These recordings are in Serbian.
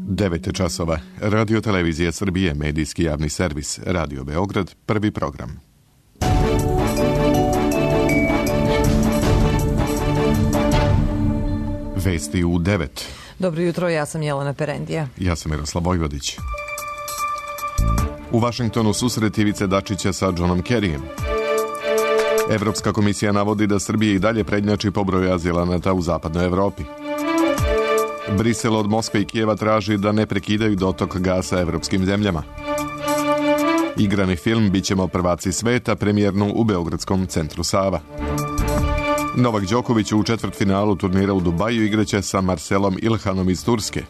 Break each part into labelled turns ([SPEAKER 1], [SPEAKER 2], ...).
[SPEAKER 1] 9 časova. Radio Televizija Srbije, medijski javni servis. Radio Beograd, prvi program. Vesti u 9.
[SPEAKER 2] Dobro jutro, ja sam Jelena Perendija.
[SPEAKER 1] Ja sam Miroslav Vojvodić. U Vašingtonu susret Ivice Dačića sa Johnom Kerryjem. Evropska komisija navodi da Srbija i dalje prednjači po broju azilanata u zapadnoj Evropi. Brisel od Moskve i Kijeva traži da ne prekidaju dotok gasa evropskim zemljama. Igrani film Bićemo prvaci sveta, premijernu u Beogradskom centru Sava. Novak Đoković u četvrtfinalu turnira u Dubaju igraće sa Marcelom Ilhanom iz Turske.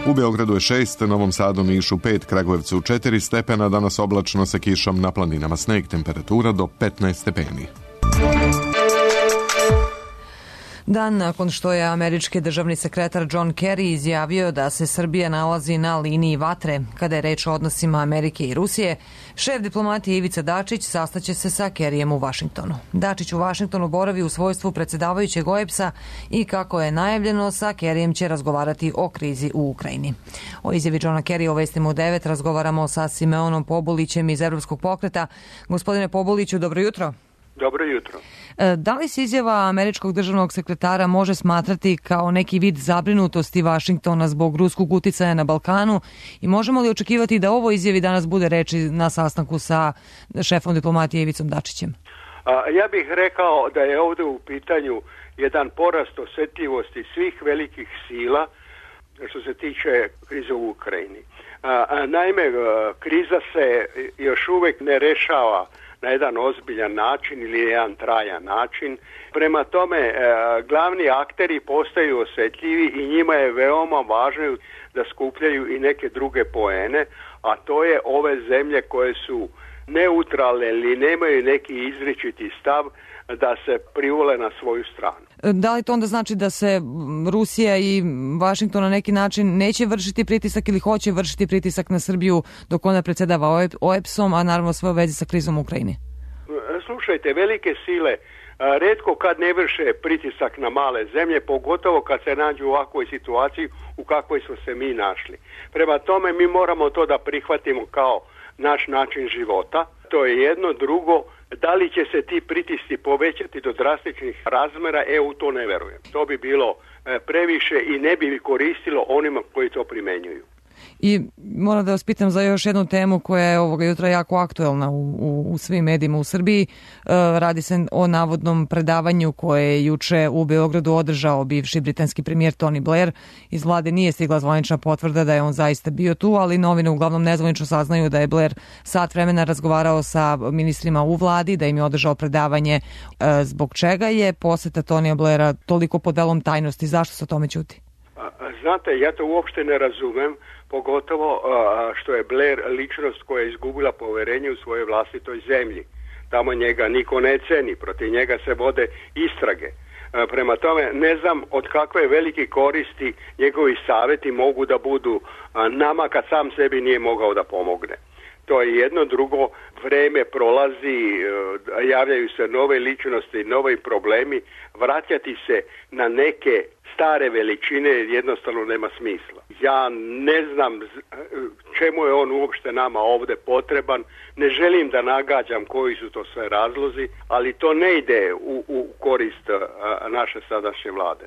[SPEAKER 1] U Beogradu je 6, Novom Sadu, Nišu 5, Kragujevcu 4 stepena, danas oblačno sa kišom, na planinama sneg, temperatura do 15 stepeni.
[SPEAKER 2] Dan nakon što je američki državni sekretar John Kerry izjavio da se Srbija nalazi na liniji vatre kada je reč o odnosima Amerike i Rusije, šef diplomatije Ivica Dačić sastaće se sa Kerryjem u Vašingtonu. Dačić u Vašingtonu boravi u svojstvu predsjedavajućeg OEBS-a i kako je najavljeno, sa Kerryjem će razgovarati o krizi u Ukrajini. O izjavi Johna Kerrya u Vestima u 9 razgovaramo sa Simeonom Pobulićem iz Evropskog pokreta. Gospodine Pobuliću, dobro jutro.
[SPEAKER 3] Dobro jutro.
[SPEAKER 2] Da li se izjava američkog državnog sekretara može smatrati kao neki vid zabrinutosti Vašingtona zbog ruskog uticaja na Balkanu i možemo li očekivati da ovo izjavi danas bude reči na sastanku sa šefom diplomatije Ivicom Dačićem?
[SPEAKER 3] Ja bih rekao da je ovdje u pitanju jedan porast osjetljivosti svih velikih sila što se tiče krize u Ukrajini. Naime, kriza se još uvijek ne rešava na jedan ozbiljan način ili jedan trajan način. Prema tome, glavni akteri postaju osjetljivi i njima je veoma važno da skupljaju i neke druge poene, a to je ove zemlje koje su neutralne ili nemaju neki izričiti stav da se privole na svoju stranu.
[SPEAKER 2] Da li to onda znači da se Rusija i Vašington na neki način neće vršiti pritisak ili hoće vršiti pritisak na Srbiju dok ona predsjedava OEBS-om, a naravno sve u vezi sa krizom u Ukrajini?
[SPEAKER 3] Slušajte, velike sile retko kad ne vrše pritisak na male zemlje, pogotovo kad se nađu u ovakvoj situaciji u kakvoj smo se mi našli. Prema tome mi moramo to da prihvatimo kao naš način života. To je jedno. Drugo, da li će se ti pritisci povećati do drastičnih razmjera, u to ne verujem. To bi bilo previše i ne bi koristilo onima koji to primjenjuju.
[SPEAKER 2] I moram da vas pitam za još jednu temu koja je ovoga jutra jako aktuelna u svim medijima u Srbiji. Radi se o navodnom predavanju koje je juče u Beogradu održao bivši britanski premijer Tony Blair. Iz vlade nije stigla zvanična potvrda da je on zaista bio tu, ali novine uglavnom nezvanično saznaju da je Blair sat vremena razgovarao sa ministrima u vladi, da im je održao predavanje. Zbog čega je poseta Tonija Blaira toliko pod velom tajnosti? Zašto se o tome ćuti?
[SPEAKER 3] Znate, ja to uopšte ne razumem, pogotovo što je Blair ličnost koja je izgubila poverenje u svojoj vlastitoj zemlji. Tamo njega niko ne ceni, protiv njega se vode istrage. Prema tome, ne znam od kakve velike koristi njegovi savjeti mogu da budu nama kad sam sebi nije mogao da pomogne. To je jedno. Drugo, vreme prolazi, javljaju se nove ličnosti, novi problemi, vraćati se na neke stare veličine jednostavno nema smisla. Ja ne znam čemu je on uopšte nama ovdje potreban, ne želim da nagađam koji su to sve razlozi, ali to ne ide u korist naše sadašnje vlade.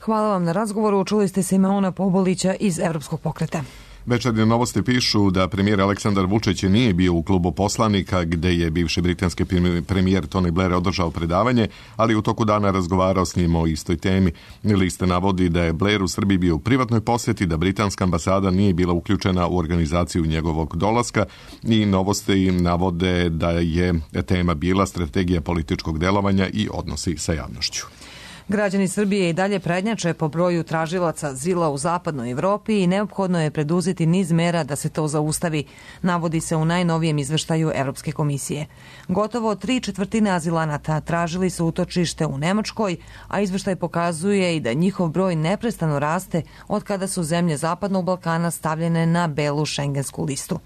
[SPEAKER 2] Hvala vam na razgovoru. Čuli ste Simeona Pobulića iz Evropskog pokreta.
[SPEAKER 1] Večernje novosti pišu da premijer Aleksandar Vučić nije bio u klubu poslanika gde je bivši britanski premijer Tony Blair održao predavanje, ali u toku dana razgovarao s njim o istoj temi. Lista navodi da je Blair u Srbiji bio u privatnoj posjeti, da britanska ambasada nije bila uključena u organizaciju njegovog dolaska i novosti navode da je tema bila strategija političkog delovanja i odnosi sa javnošću.
[SPEAKER 2] Građani Srbije i dalje prednjače po broju tražilaca azila u zapadnoj Evropi i neophodno je preduzeti niz mera da se to zaustavi, navodi se u najnovijem izveštaju Evropske komisije. Gotovo 3/4 azilanata tražili su utočište u Nemačkoj, a izveštaj pokazuje i da njihov broj neprestano raste od kada su zemlje Zapadnog Balkana stavljene na belu šengensku listu.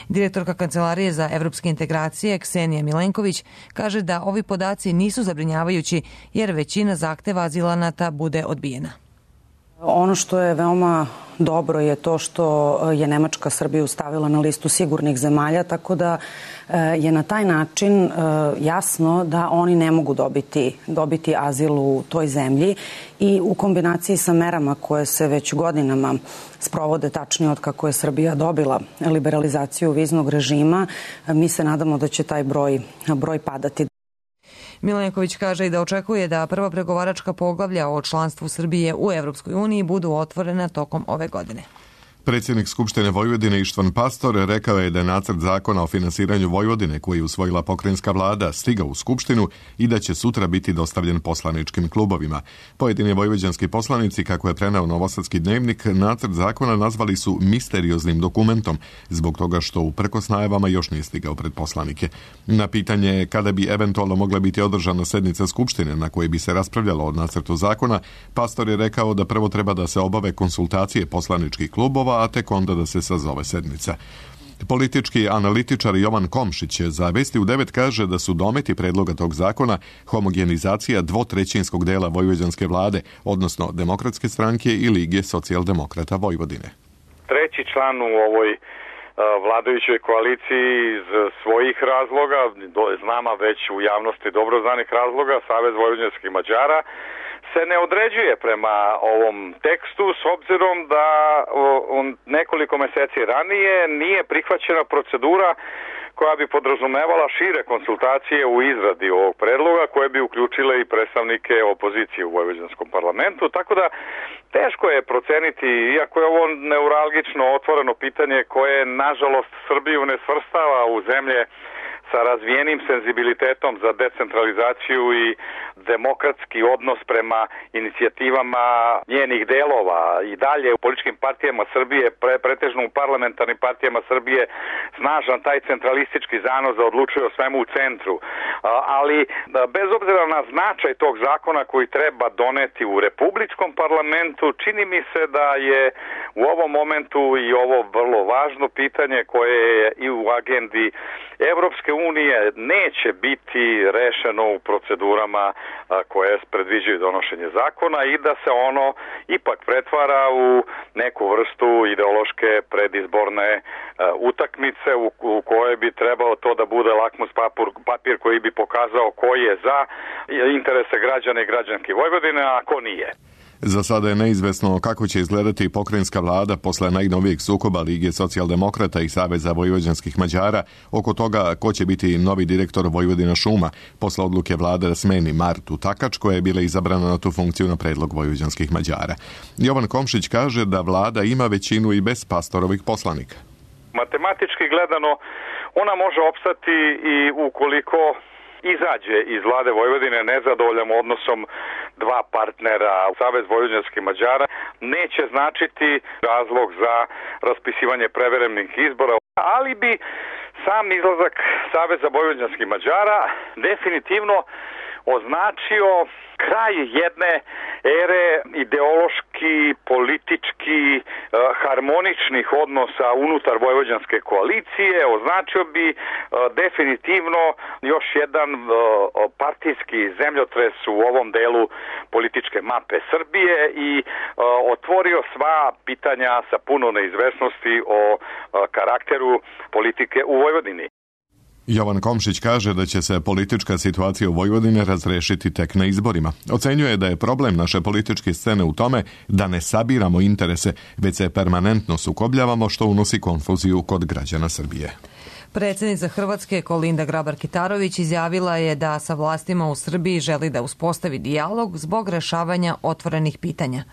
[SPEAKER 2] Direktorka Kancelarije za evropske integracije Ksenija Milenković kaže da ovi podaci nisu zabrinjavajući jer većina zahteva azilanata bude odbijena.
[SPEAKER 4] Ono što je veoma dobro je to što je Nemačka Srbiju stavila na listu sigurnih zemalja, tako da je na taj način jasno da oni ne mogu dobiti azil u toj zemlji i u kombinaciji sa merama koje se već godinama sprovode, tačnije od kako je Srbija dobila liberalizaciju viznog režima, mi se nadamo da će taj broj padati.
[SPEAKER 2] Milenković kaže i da očekuje da prva pregovaračka poglavlja o članstvu Srbije u Evropskoj uniji budu otvorena tokom ove godine.
[SPEAKER 1] Predsjednik Skupštine Vojvodine Ištvan Pastor rekao je da je nacrt zakona o finansiranju Vojvodine koji je usvojila pokrajinska vlada stigao u Skupštinu i da će sutra biti dostavljen poslaničkim klubovima. Pojedini vojvođanski poslanici, kako je preneo Novosadski dnevnik, nacrt zakona nazvali su misterioznim dokumentom zbog toga što uprkos najavama još nije stigao pred poslanike. Na pitanje kada bi eventualno mogla biti održana sednica Skupštine na kojoj bi se raspravljalo o nacrtu zakona, Pastor je rekao da prvo treba da se obave konsultacije poslaničkih klubova, a tek onda da se sazove sednica. Politički analitičar Jovan Komšić za Vesti u 9 kaže da su dometi predloga tog zakona homogenizacija dvotrećinskog dela vojvođanske vlade, odnosno Demokratske stranke i Lige socijaldemokrata Vojvodine.
[SPEAKER 5] Treći član u ovoj vladajućoj koaliciji iz svojih razloga, znama već u javnosti dobro znanih razloga, Savez vojvođanskih Mađara, se ne određuje prema ovom tekstu s obzirom da nekoliko meseci ranije nije prihvaćena procedura koja bi podrazumevala šire konsultacije u izradi ovog predloga koje bi uključile i predstavnike opozicije u vojvođanskom parlamentu, tako da teško je proceniti, iako je ovo neuralgično otvoreno pitanje koje nažalost Srbiju ne svrstava u zemlje sa razvijenim senzibilitetom za decentralizaciju i demokratski odnos prema inicijativama njenih delova i dalje u političkim partijama Srbije, pretežno u parlamentarnim partijama Srbije, snažan taj centralistički zanos da odlučuje o svemu u centru. Ali bez obzira na značaj tog zakona koji treba doneti u republičkom parlamentu, čini mi se da je u ovom momentu i ovo vrlo važno pitanje koje je i u agendi Evropske unije neće biti rešeno u procedurama koje predviđaju donošenje zakona i da se ono ipak pretvara u neku vrstu ideološke predizborne utakmice u kojoj bi trebalo to da bude lakmus papir koji bi pokazao ko je za interese građana i građanki Vojvodine, a ko nije.
[SPEAKER 1] Za sada je neizvesno kako će izgledati pokrajinska vlada posle najnovijeg sukoba Lige socijaldemokrata i Saveza vojvođanskih Mađara oko toga ko će biti novi direktor Vojvodina šuma posle odluke vlade da smeni Martu Takač koja je bila izabrana na tu funkciju na predlog vojvođanskih Mađara. Jovan Komšić kaže da vlada ima većinu i bez Pastorovih poslanika.
[SPEAKER 5] Matematički gledano ona može opstati i ukoliko izađe iz vlade Vojvodine nezadovoljan odnosom dva partnera, Savez vojvođanskih Mađara, neće značiti razlog za raspisivanje prevremnih izbora, ali bi sam izlazak Saveza vojvođanskih Mađara definitivno označio kraj jedne ere ideološki, politički, harmoničnih odnosa unutar vojvođanske koalicije, označio bi definitivno još jedan partijski zemljotres u ovom delu političke mape Srbije i otvorio sva pitanja sa puno neizvesnosti o karakteru politike u Vojvodini.
[SPEAKER 1] Jovan Komšić kaže da će se politička situacija u Vojvodini razrešiti tek na izborima. Ocenjuje da je problem naše političke scene u tome da ne sabiramo interese, već se permanentno sukobljavamo što unosi konfuziju kod građana Srbije.
[SPEAKER 2] Predsjednica Hrvatske Kolinda Grabar-Kitarović izjavila je da sa vlastima u Srbiji želi da uspostavi dijalog zbog rešavanja otvorenih pitanja.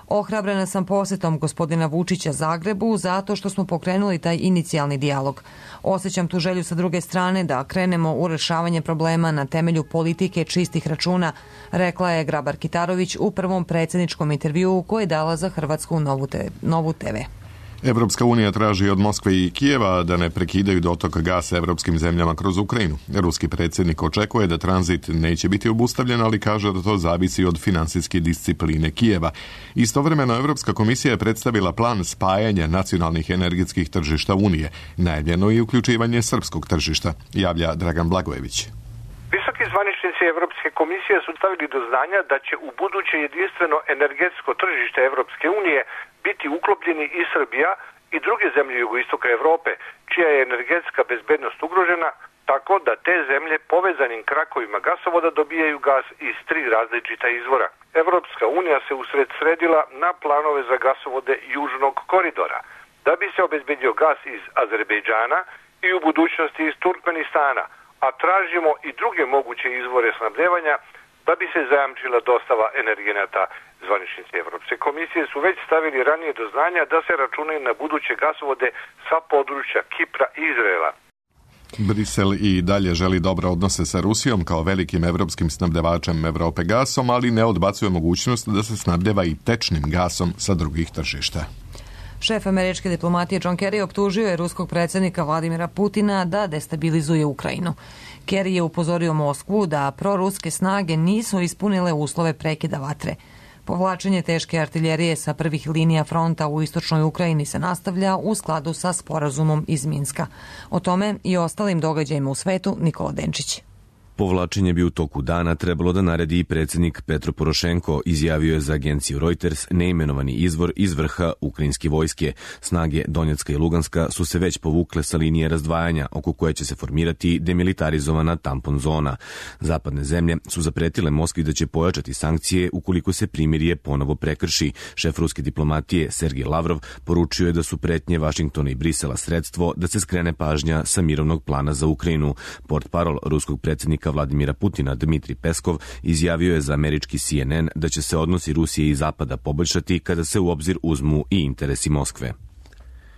[SPEAKER 2] Ohrabrena sam posjetom gospodina Vučića Zagrebu zato što smo pokrenuli taj inicijalni dijalog. Osjećam tu želju sa druge strane da krenemo u rešavanje problema na temelju politike čistih računa, rekla je Grabar-Kitarović u prvom predsjedničkom intervjuu koji je dala za Hrvatsku Novu TV.
[SPEAKER 1] Evropska unija traži od Moskve i Kijeva da ne prekidaju dotok gasa evropskim zemljama kroz Ukrajinu. Ruski predsjednik očekuje da tranzit neće biti obustavljen, ali kaže da to zavisi od finansijske discipline Kijeva. Istovremeno, Evropska komisija je predstavila plan spajanja nacionalnih energetskih tržišta Unije. Najavljeno je uključivanje srpskog tržišta, javlja Dragan Blagojević.
[SPEAKER 5] Visoki
[SPEAKER 6] Visoki zvaničnici Evropske komisije su stavili do znanja da će u buduće jedinstveno energetsko tržište Evropske unije biti uklopljeni i Srbija i druge zemlje jugoistoka Evrope, čija je energetska bezbednost ugrožena, tako da te zemlje povezanim krakovima gasovoda dobijaju gas iz 3 različita izvora. Evropska unija se usredsredila na planove za gasovode Južnog koridora, da bi se obezbedio gas iz Azerbejdžana i u budućnosti iz Turkmenistana, a tražimo i druge moguće izvore snabdevanja da bi se zajamčila dostava energenata. Zvaničnici Evropske komisije su već stavili ranije do znanja da se računaju na buduće gasovode sa područja Kipra i Izraela.
[SPEAKER 1] Brisel i dalje želi dobre odnose sa Rusijom kao velikim evropskim snabdevačem Evrope gasom, ali ne odbacuje mogućnost da se snabdeva i tečnim gasom sa drugih tržišta.
[SPEAKER 2] Šef američke diplomatije John Kerry optužio je ruskog predsjednika Vladimira Putina da destabilizuje Ukrajinu. Kerry je upozorio Moskvu da proruske snage nisu ispunile uslove prekida vatre. Povlačenje teške artiljerije sa prvih linija fronta u istočnoj Ukrajini se nastavlja u skladu sa sporazumom iz Minska. O tome i ostalim događajima u svetu Nikola Denčić.
[SPEAKER 7] Povlačenje bi u toku dana trebalo da naredi i predsjednik Petro Porošenko, izjavio je za agenciju Reuters neimenovani izvor iz vrha ukrajinske vojske. Snage Donjecka i Luganska su se već povukle sa linije razdvajanja, oko koje će se formirati demilitarizovana tampon zona. Zapadne zemlje su zapretile Moskvi da će pojačati sankcije ukoliko se primirje ponovo prekrši. Šef ruske diplomatije Sergej Lavrov poručio je da su pretnje Vašingtona i Brisela sredstvo da se skrene pažnja sa mirovnog plana za Ukrajinu. Portparol ruskog predsjednika Vladimira Putina Dmitrij Peskov izjavio je za američki CNN da će se odnosi Rusije i Zapada poboljšati kada se u obzir uzmu i interesi Moskve.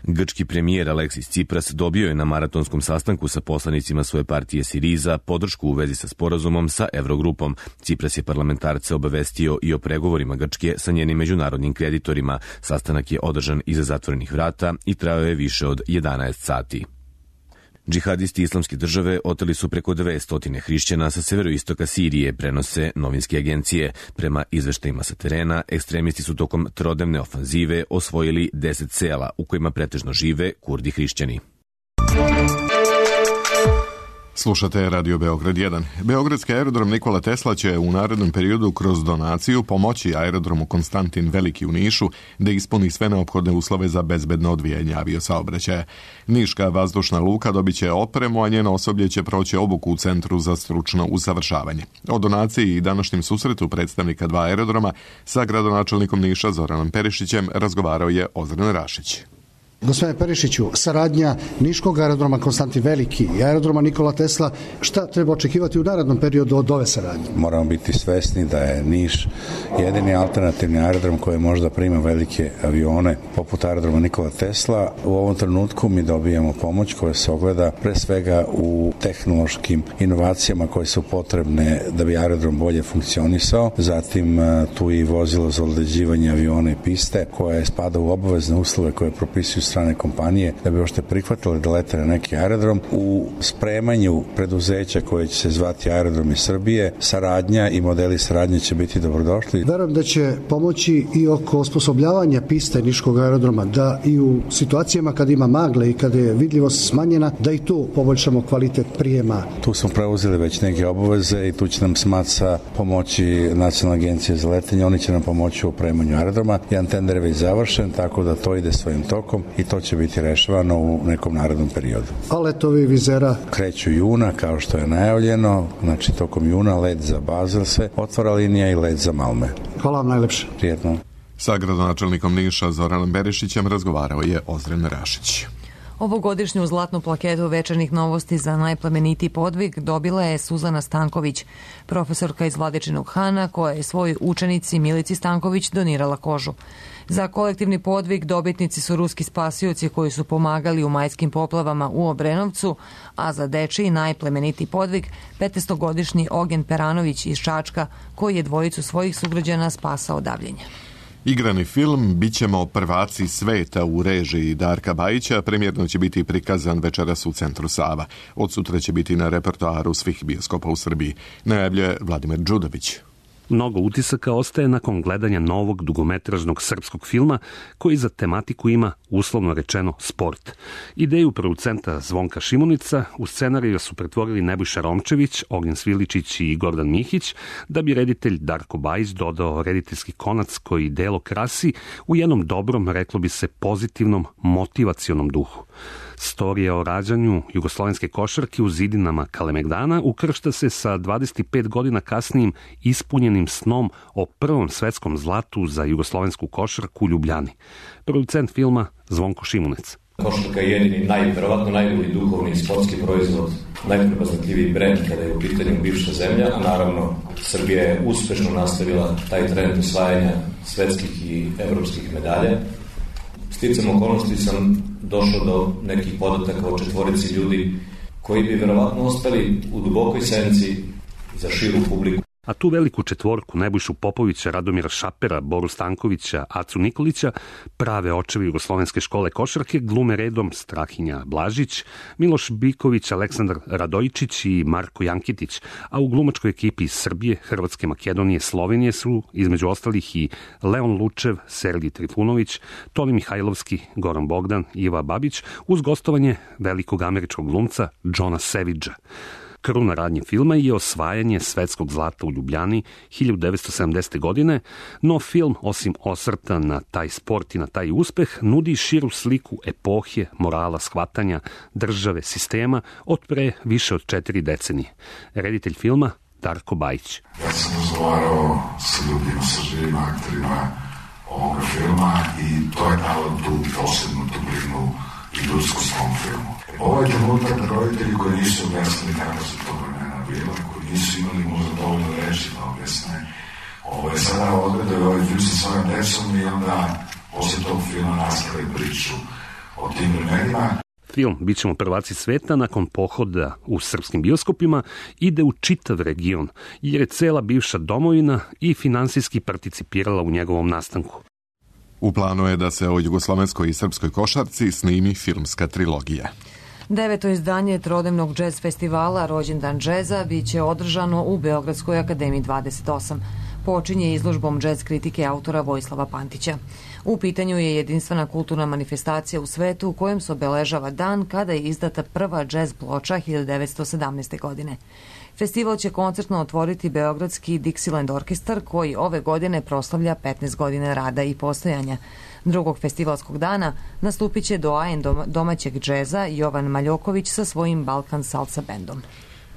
[SPEAKER 7] Grčki premijer Aleksis Tsipras dobio je na maratonskom sastanku sa poslanicima svoje partije Siriza podršku u vezi sa sporazumom sa Evrogrupom. Tsipras je parlamentarce obavestio i o pregovorima Grčke sa njenim međunarodnim kreditorima. Sastanak je održan iza zatvorenih vrata i trajao je više od 11 sati. Džihadisti Islamske države oteli su preko 200 hrišćana sa severoistoka Sirije, prenose novinske agencije. Prema izveštajima sa terena, ekstremisti su tokom trodnevne ofanzive osvojili 10 sela u kojima pretežno žive Kurdi hrišćani.
[SPEAKER 1] Slušate Radio Beograd 1. Beogradski aerodrom Nikola Tesla će u narednom periodu kroz donaciju pomoći aerodromu Konstantin Veliki u Nišu da ispuni sve neophodne uslove za bezbedno odvijanje aviosaobraćaja. Niška vazdušna luka dobit će opremu, a njeno osoblje će proći obuku u Centru za stručno usavršavanje. O donaciji i današnjem susretu predstavnika 2 aerodroma sa gradonačelnikom Niša Zoranom Perišićem razgovarao je Ozren Rašić.
[SPEAKER 8] Gospodine Perišiću, saradnja Niškog aerodroma Konstantin Veliki i aerodroma Nikola Tesla, šta treba očekivati u narednom periodu od ove saradnje?
[SPEAKER 9] Moramo biti svesni da je Niš jedini alternativni aerodrom koji možda prima velike avione poput aerodroma Nikola Tesla. U ovom trenutku mi dobijamo pomoć koja se ogleda pre svega u tehnološkim inovacijama koje su potrebne da bi aerodrom bolje funkcionisao. Zatim tu i vozilo za odleđivanje aviona i piste koje spada u obavezne uslove koje propisuju strane kompanije da bi uopšte prihvatili da lete na neki aerodrom. U spremanju preduzeća koje će se zvati Aerodromi Srbije, saradnja i modeli saradnje će biti dobrodošli.
[SPEAKER 8] Verujem da će pomoći i oko osposobljavanja piste Niškog aerodroma, da i u situacijama kada ima magle i kada je vidljivost smanjena, da i tu poboljšamo kvalitet prijema.
[SPEAKER 9] Tu smo preuzeli već neke obaveze i tu će nam SMATSA pomoći Nacionalna agencija za letenje, oni će nam pomoći u opremanju aerodroma. Jedan tender je već završen, tako da to ide svojim tokom i to će biti rešavano u nekom narednom periodu.
[SPEAKER 8] A letovi vizera?
[SPEAKER 9] Kreću juna, kao što je najavljeno, znači tokom juna let za Basel se otvara linija i let za Malme.
[SPEAKER 8] Hvala vam najlepše.
[SPEAKER 9] Prijetno.
[SPEAKER 1] Sa gradonačelnikom Niša Zoranom Berišićem razgovarao je Ozren Rašić.
[SPEAKER 2] Ovogodišnju zlatnu plaketu Večernjih novosti za najplemenitiji podvig dobila je Suzana Stanković, profesorka iz Vladičinog Hana, koja je svojoj učenici Milici Stanković donirala kožu. Za kolektivni podvig dobitnici su ruski spasioci koji su pomagali u majskim poplavama u Obrenovcu, a za dečiji najplemenitiji podvig 15-godišnji Ogen Peranović iz Čačka, koji je dvojicu svojih sugrađana spasao davljenja.
[SPEAKER 1] Igrani film Bićemo prvaci sveta u režiji Darka Bajića premijerno će biti prikazan večeras u Centru Sava. Od sutra će biti na repertoaru svih bioskopa u Srbiji, najavljuje Vladimir Đudović.
[SPEAKER 10] Mnogo utisaka ostaje nakon gledanja novog dugometražnog srpskog filma koji za tematiku ima, uslovno rečeno, sport. Ideju producenta Zvonka Šimunica u scenariju su pretvorili Nebojša Romčević, Ognjen Sviličić i Gordan Mihić, da bi reditelj Darko Bajić dodao rediteljski konac koji delo krasi u jednom dobrom, reklo bi se, pozitivnom, motivacionom duhu. Storija o rađanju jugoslovenske košarke u zidinama Kalemegdana ukršta se sa 25 godina kasnijim ispunjenim snom o prvom svetskom zlatu za jugoslovensku košarku u Ljubljani. Producent filma Zvonko Šimunec.
[SPEAKER 11] Košarka je jedini, verovatno najbolji duhovni sportski proizvod, najprepoznatljiviji brend kada je u pitanju bivša zemlja, a naravno Srbija je uspešno nastavila taj trend osvajanja svetskih i evropskih medalja. Sticam okolnosti sam došao do nekih podataka o 4 ljudi koji bi verovatno ostali u dubokoj senci za širu publiku.
[SPEAKER 10] A tu veliku četvorku, Nebojšu Popovića, Radomira Šapera, Boru Stankovića, Acu Nikolića, prave očevi jugoslovenske škole košarke, glume redom Strahinja Blažić, Miloš Biković, Aleksandar Radojičić i Marko Jankitić, a u glumačkoj ekipi iz Srbije, Hrvatske, Makedonije, Slovenije su, između ostalih, i Leon Lučev, Sergij Trifunović, Toni Mihajlovski, Goran Bogdan, Iva Babić, uz gostovanje velikog američkog glumca Johna Savagea. Kruna radnje filma je osvajanje svetskog zlata u Ljubljani 1970. godine, no film, osim osvrta na taj sport i na taj uspeh, nudi širu sliku epohe, morala, shvatanja, države, sistema od pre više od 4 decenije. Reditelj filma Darko Bajić.
[SPEAKER 12] Ja sam razgovarao sa ljudima, sa živim aktorima ovoga filma i to je dalo tu posebnu dublinu i ljudskost u ovom filmu. Ovo je trenutak da roditelji koji nisu objasnili kako se to vremena bila, koji nisu imali možda dovoljno reći da objasne, ovo je sada odgledaju ovaj film sa svojom decom i onda posle tog filma nastavi priču o tim vremenima.
[SPEAKER 10] Film Bit ćemo prvaci sveta nakon pohoda u srpskim bioskopima ide u čitav region, jer je cela bivša domovina i finansijski participirala u njegovom nastanku.
[SPEAKER 1] U planu je da se o jugoslovenskoj i srpskoj košarci snimi filmska trilogija.
[SPEAKER 2] 9. izdanje trodnevnog džez festivala Rođendan džeza biće održano u Beogradskoj akademiji 28. Počinje izložbom džez kritike autora Vojislava Pantića. U pitanju je jedinstvena kulturna manifestacija u svetu u kojem se obeležava dan kada je izdata prva džez ploča 1917. godine. Festival će koncertno otvoriti beogradski Dixieland orkestar koji ove godine proslavlja 15 godina rada i postojanja. Drugog festivalskog dana nastupit će doajen domaćeg džeza Jovan Maljoković sa svojim Balkan Salsa bendom.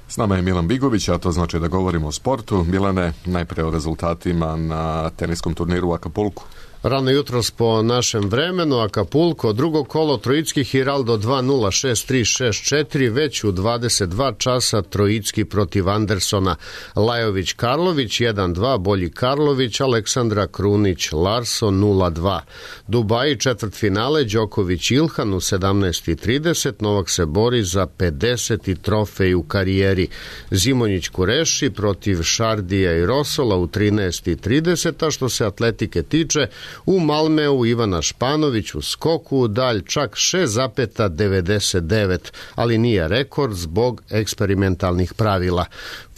[SPEAKER 1] S nama je Milan Bigović, a to znači da govorimo o sportu. Milane, najpre o rezultatima na teniskom turniru u Akapulku.
[SPEAKER 13] Rano jutros po našem vremenu, Acapulco, drugo kolo Trojicki Hiraldo 2-0, 6-3, 6-4, već u 22 časa Trojicki protiv Andersona, Lajović Karlović 1-2, bolji Karlović, Aleksandra Krunić Larson 0-2. Dubaji četvrtfinale, Đoković Ilhan u 17:30, Novak se bori za 50. trofej u karijeri. Zimonjić Kureši protiv Šardija i Rosola u 13:30, a što se atletike tiče, u Malmeu Ivana Španović u skoku u dalj čak 6,99, ali nije rekord zbog eksperimentalnih pravila.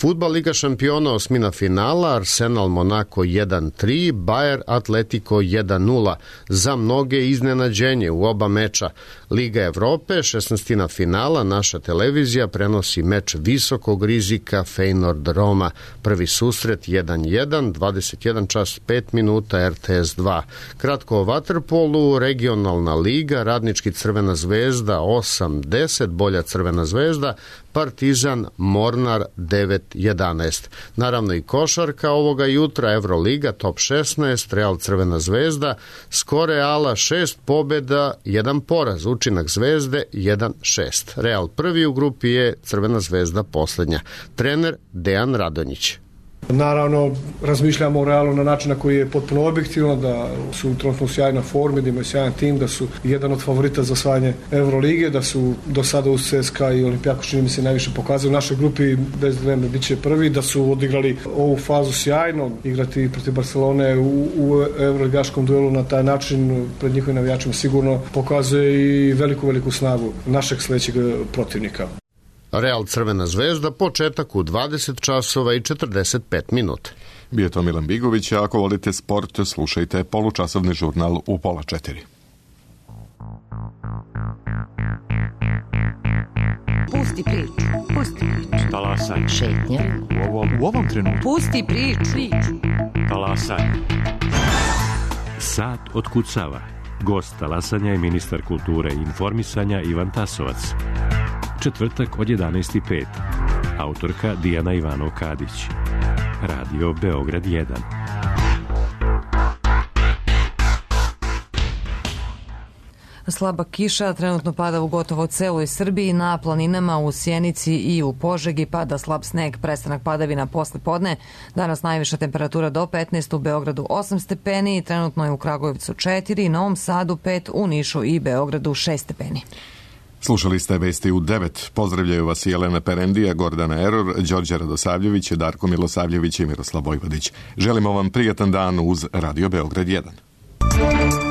[SPEAKER 13] Fudbal Liga šampiona osmina finala, Arsenal Monako 1-3, Bayer Atletico 1-0. Za mnoge iznenađenje u oba meča. Liga Evrope, 16. finala, naša televizija prenosi meč visokog rizika Feyenoord Roma. Prvi susret 1-1, 21 čas 5 minuta RTS 2. Kratko o vaterpolu, regionalna liga, Radnički Crvena zvezda 8-10, bolja Crvena zvezda, Partizan Mornar 9-11. Naravno i košarka ovoga jutra, Evroliga top 16, Real Crvena zvezda, skor Reala 6 pobjeda, 1 poraz, učinak zvezde 1-6. Real prvi u grupi je, Crvena zvezda poslednja. Trener Dejan Radonjić.
[SPEAKER 14] Naravno, razmišljamo o Realu na način na koji je potpuno objektivno, da su trenutno u sjajnoj formi, da imaju sjajan tim, da su jedan od favorita za osvajanje Evrolige, da su do sada uz CSKA i Olimpijakos čini mi se najviše pokazali u našoj grupi, bez dileme bit će prvi, da su odigrali ovu fazu sjajno, igrati protiv Barcelone u evroligaškom duelu na taj način pred njihovim navijačima sigurno pokazuje i veliku snagu našeg sledećeg protivnika.
[SPEAKER 13] Real Crvena zvezda, početak u 20 časova i 45 minuta.
[SPEAKER 1] Bio je to Milan Bigović, a ako volite sport, slušajte polučasovni žurnal u 3:30.
[SPEAKER 15] Pusti priču.
[SPEAKER 16] Talasaj.
[SPEAKER 15] Šetnja.
[SPEAKER 16] U ovom trenutku.
[SPEAKER 15] Pusti priču.
[SPEAKER 16] Talasaj. Sat otkucava. Gost talasanja je ministar kulture i informisanja Ivan Tasovac. Četvrtak od 11:05. Autorka Dijana Ivanov-Kadić. Radio Beograd 1.
[SPEAKER 2] Slaba kiša trenutno pada u gotovo celoj Srbiji, na planinama u Sjenici i u Požegi pada slab sneg, prestanak padavina posle podne. Danas najviša temperatura do 15, u Beogradu 8 stepeni, trenutno je u Kragujevcu 4, Novom Sadu 5, u Nišu i Beogradu 6 stepeni.
[SPEAKER 1] Slušali ste vesti u 9. Pozdravljaju vas Jelena Perendija, Gordana Eror, Đorđe Radosavljević, Darko Milosavljević i Miroslav Vojvodić. Želimo vam prijatan dan uz Radio Beograd 1.